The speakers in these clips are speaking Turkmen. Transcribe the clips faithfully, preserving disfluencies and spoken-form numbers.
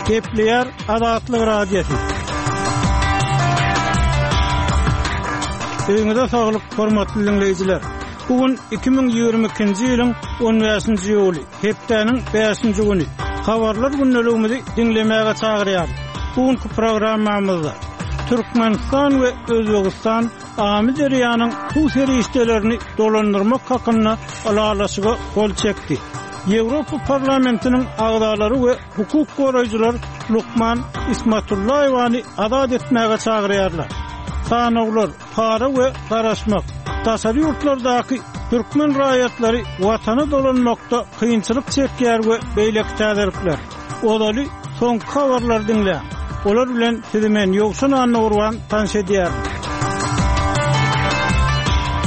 Gepleýär Azatlyk Radiosy. Öýüňize saglyk, hormatly diňleýjiler. Bu gün iki müň ýigrimi ikinji ýylyň on bäşinji iýuly, hepdäniň bäşinji güni. Habarlar gündeligimizi diňlemäge çagyrýarys. Bu günki programmamyzda Türkmenistan we Özbegistan Amyderýanyň suw serişdelerini dolandyrmak hakynda ylalaşyga gol çekdi. Ýewropa Parlamentiniň agzalary we hukuk goraýjylar lukman Ismatullaýewany azat etmäge çagyrýarlar. Sanawlar, para we garaşmak. Daşary ýurtlardaky türkmen raýatlary watana dolanmakda kynçylyk çekýär we beýleki täzelikler. Ozaly soňky habarlary diňläň. Olar bilen sizi men Ýowşan Annagurban tanyş edýärin.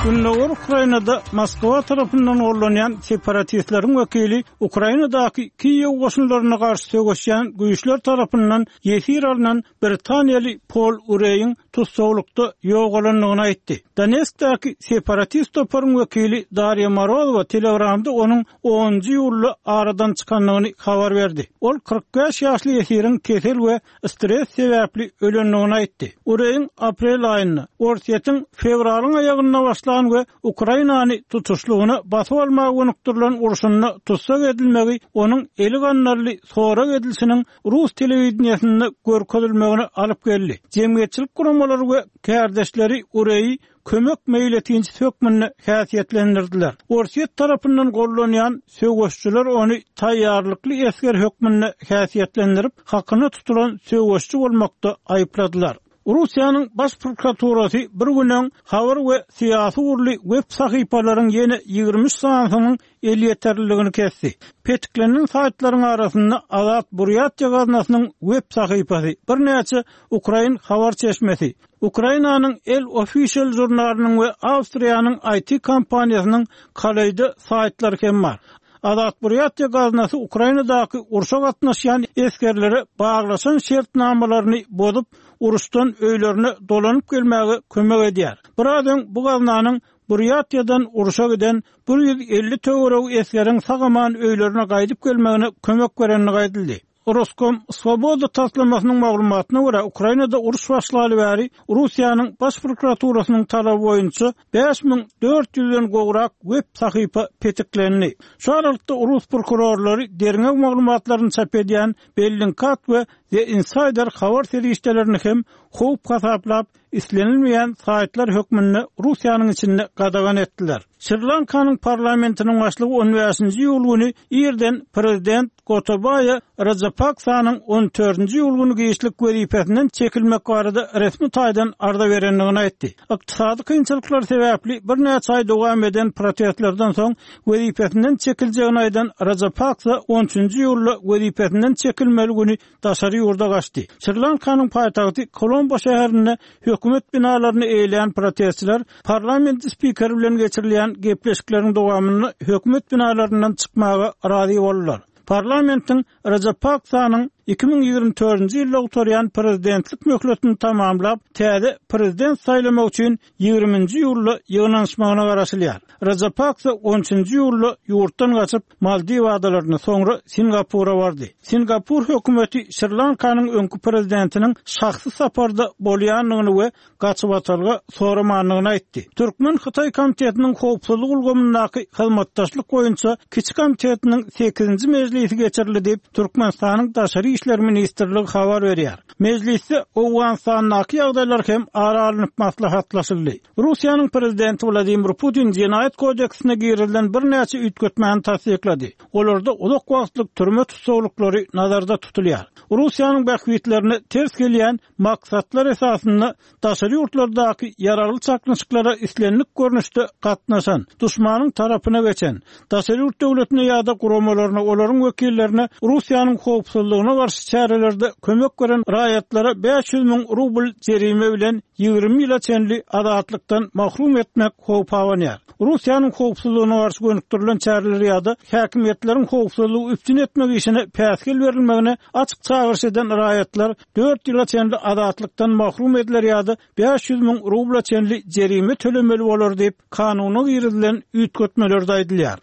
Gündogar Ukrainada Moskwa tarapyndan gollanýan separatistleriň wekili Ukrainadaky Kiýew goşunlaryna garşy söweşýän güýçler tarapyndan ýesir alnan britaniýaly Pol Ureýiň tussaglykda ýogalandygyny aýtdy. Donetskdäki separatist toparyň wekili Darýa Morozowa Telegramda onuň onunjy iýulda aradan çykandygyny habar berdi. Ol kyrk bäş ýaşly ýesiriň kesel we stres sebäpli ölendigini aýtdy. Ureýiň aprel aýynda, Orsýetiň fewralyň aýagynda başlan we Ukrainany tutuşlygyna basyp almaga gönükdirilen urşunda tussag edilmegi onuň eli gandally sorag edilişiniň rus telewideniýesinde görkezilmegine alyp geldi. Jemgyýetçilik guramalary we kärdeşleri Ureýi kömek meýletinçisi hökmünde häsiýetlendirdiler. Orsýet tarapyndan gollanýan söweşçiler ony taýýarlykly esger hökmünde häsiýetlendirip, hakyna tutulan söweşçi bolmakda aýypladylar. Russiýanyň baş prokuraturasy bir gün öň habar we syýasy ugurly web sahypalaryň ýene ýigrimi üç sanysynyň elýeterliligini kesdi. Petiklenen saýtlaryň arasynda Azat Burýatiýa gaznasynyň web sahypasy, birnäçe ukrain habar çeşmesi, Ukrainanyň El Official žurnalynyň we Awstriýanyň I T kompaniýasynyň Kaleýda saýtlary hem bar. Azat Burýatiýa gaznasy Ukrainadaky urşa gatnaşýan esgerlere baglaşan şertnamalaryny bozup, uruşdan öýlerine dolanyp gelmäge kömek edýär. Biraz öň bu gaznanyň Burýatiýadan urşa giden bir ýüz elli töweregi esgeriň sag-aman öýlerine gaýdyp gelmegine kömek berenligi aýdyldy. Roskom Swoboda taslamasynyň maglumatyna görä, Ukrainada uruş başlaly bäri Russiýanyň baş prokuraturasynyň talaby boýunça bäş müň dört ýüzden gowrak web sahypa petiklendi. Şu aralykda rus prokurorlary derňew maglumatlaryny çap edýän Bellingcat we The Insider habar serişdelerini hem howp hasaplap, islenilmeýän saýtlar hökmünde Russiýanyň içinde gadagan etdiler. Şri-Lankanyň parlamentiniň başlygy on bäşinji iýul güni irden prezident Gotabaýa Rajapaksanyň on dördünji iýul güni giçlik wezipesinden çekilmek barada resmi taýdan arza berendigini aýtdy. Ykdysady kynçylyklar sebäpli birnäçe aý dowam eden protestlerden soň wezipesinden çekiljegini aýdan Rajapaksa on üçünji iýulda wezipesinden çekilmeli güni daşary ýurda gaçdy. Şri-Lankanyň paýtagty Kolombo şäherinde hökümet binalaryny eýleýän protestçiler parlament spikeri bilen geçirilýän gepleşikleriň dowamynda hökümet binalaryndan çykmaga razy boldular. Parlamentiň Rajapaksanyň iki müň ýigrimi dördünji ýylda gutarýan prezidentlik möhletini tamamlap, täze prezident saýlamak üçin ýigriminji iýulda ýygnanyşmagyna garaşylýar. Rajapaksa on üçünji iýulda ýurtdan gaçyp, Maldiw adalaryna, soňra Singapura bardy. Singapur hökümeti Şri-Lankanyň öňki prezidentiniň şahsy saparda bolýandygyny we gaçybatalga soramandygyny aýtdy. Türkmen-Hytaý komitetiniň howpsuzlyk ulgamyndaky hyzmatdaşlyk boýunça kiçi komitetiniň sekizinji mejlisi geçirildi diýip, Türkmenistanyň Daşary işler ministrligi habar berýär. Mejlisde Owganystandaky ýagdaýlar hem ara alnyp maslahatlaşyldy. Russiýanyň prezidenti Wladimir Putin jenaýat kodeksine girizilen birnäçe üýtgetmäni tassyklady. Olarda uzak wagtlyk türme tussaglyklary nazarda tutulýar. Russiýanyň bähbitlerine ters gelýän maksatlar esasynda daşary ýurtlardaky ýaragly çaknyşyklara islendik görnüşde gatnaşan, duşmanyň tarapyna geçen, daşary ýurt döwletine ýa-da guramalaryna, olaryň wekillerine Russiýanyň howpsuzlygyna garşy çärelerde kömek beren raýatlara bäş ýüz müň rubl jerime bilen ýigrimi ýyla çenli azatlykdan mahrum etmek howp abanýar. Russiýanyň howpsuzlygyna garşy gönükdirilen çäreler ýa-da häkimiýetleriň howpsuzlygy üpjün etmek işine päsgel berilmegine açyk çagyryş eden raýatlar dört ýyla çenli azatlykdan mahrum ediler ýa-da bäş ýüz müň rubla çenli jerime tölemeli bolar diýip, kanuna girizilen üýtgetmelerde aýdylýar.